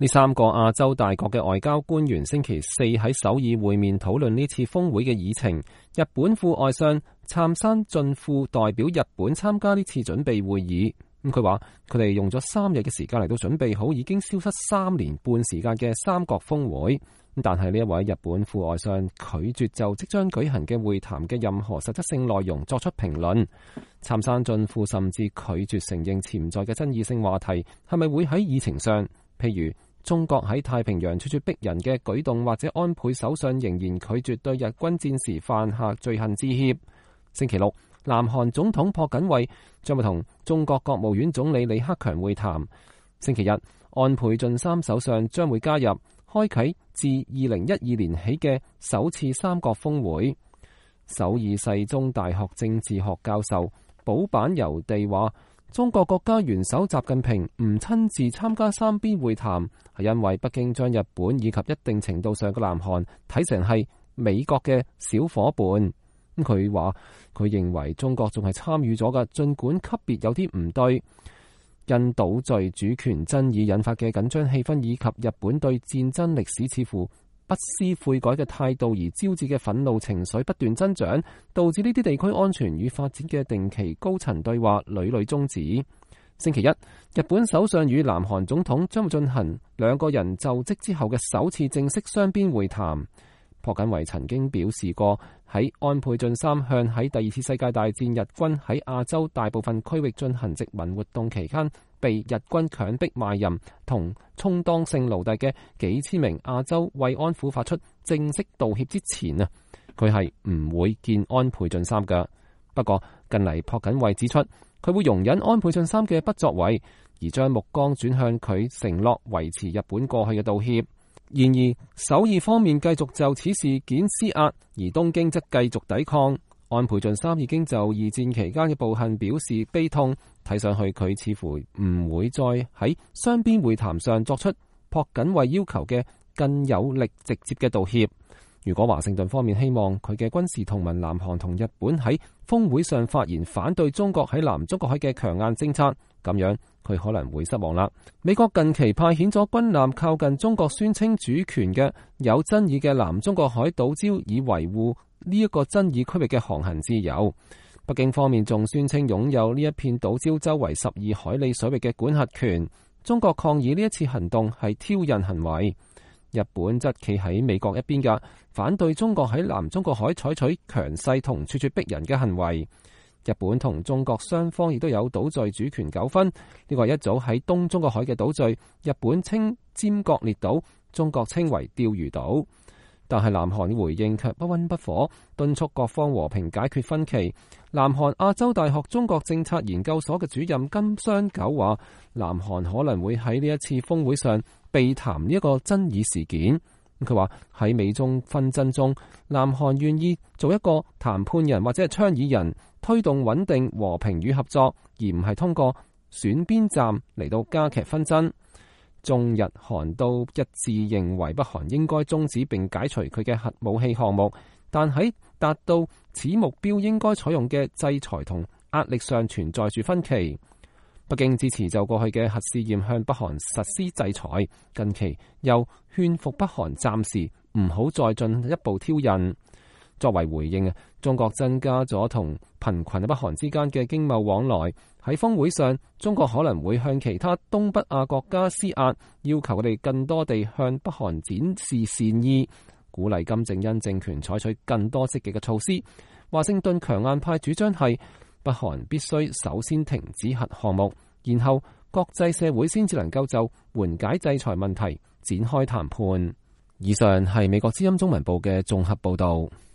呢三個亞洲大國嘅外交官員星期四喺首爾會面討論呢次峰會嘅議程。日本副外相杉山俊富代表日本參加呢次準備會議。佢話佢哋用咗3日嘅時間嚟到準備好已經消失3年半時間嘅三角峰會。但係呢一位日本副外相拒絕就即將舉行嘅會談嘅任何實質性內容作出評論。杉山俊富甚至拒絕承認潛在嘅爭議性話題係咪會喺議程上，譬如中國喺太平洋處處逼人嘅舉動，或者安倍首相仍然拒絕對日軍戰時犯下罪行致歉。星期六，南韓總統朴槿惠將會同中國國務院總理李克強會談。星期日，安倍晉三首相將會加入，開啟自2012年起嘅首次三角峰會。首爾世宗大學政治學教授保坂由地話，中國國家元首習近平唔親自參加三邊會談，係因為北京將日本以及一定程度上嘅南韓睇成係美國嘅小伙伴。佢話佢認為中國仲係參與咗嘅，儘管級別有啲唔對。因島嶼主權爭議引發嘅緊張氣氛，以及日本對戰爭歷史似乎不思悔改嘅態度而招致嘅憤怒情緒不斷增長，導致呢啲地區安全與發展嘅定期高層對話屢屢終止。星期一，日本首相與南韓總統將會進行兩個人就職之後嘅首次正式雙邊會談。朴槿惠曾經表示過，喺安倍晉三向喺第二次世界大戰日軍喺亞洲大部分區域進行殖民活動期間被日軍強迫賣淫同充當性奴隸嘅幾千名亞洲慰安婦發出正式道歉之前啊，佢係唔會見安倍晉三嘅。不過近嚟朴槿惠指出，佢會容忍安倍晉三嘅不作為，而將目光轉向佢承諾維持日本過去嘅道歉。然而首爾方面繼續就此事件施壓，而東京則繼續抵抗。安倍晉三已經就二戰期間嘅暴行表示悲痛，睇上去佢似乎唔會再喺雙邊會談上作出朴槿惠要求嘅更有力直接嘅道歉。如果華盛頓方面希望佢嘅軍事同盟南韓同日本喺峰會上發言反對中國喺南中國海嘅強硬政策，咁樣佢可能會失望啦。美國近期派遣咗軍艦靠近中國宣稱主權嘅有爭議嘅南中國海島礁，以維護呢一個爭議區域嘅航行自由。北京方面仲宣稱擁有呢一片島礁周圍12海里水域嘅管轄權。中國抗議呢一次行動係挑釁行為。日本則企喺美國一邊嘅，反對中國喺南中國海採取強勢同處處逼人嘅行為。日本同中國雙方亦都有島嶼主權糾紛，呢個係一組喺東中國海嘅島嶼，日本稱尖閣列島，中國稱為釣魚島。但係南韓回應卻不溫不火，敦促各方和平解決分歧。南韓亞洲大學中國政策研究所嘅主任金相久話，南韓可能會喺呢一次峰會上避談呢一個爭議事件。佢話喺美中紛爭中，南韓願意做一個談判人或者係倡議人，推動穩定、和平與合作，而唔係通過選邊站嚟到加劇紛爭。中日韓都一致認為北韓應該終止並解除佢嘅核武器項目，但喺達到此目標應該採用嘅制裁同壓力上存在住分歧。北京支持就過去嘅核試驗向北韓實施制裁，近期又勸服北韓暫時唔好再進一步挑釁。作為回應，中國增加咗同貧困嘅北韓之間嘅經貿往來。喺峰會上，中國可能會向其他東北亞國家施壓，要求佢哋更多地向北韓展示善意，鼓勵金正恩政權採取更多積極嘅措施。華盛頓強硬派主張係北韓必須首先停止核項目，然後國際社會先至能夠就緩解制裁問題展開談判。以上係美國之音中文部嘅綜合報導。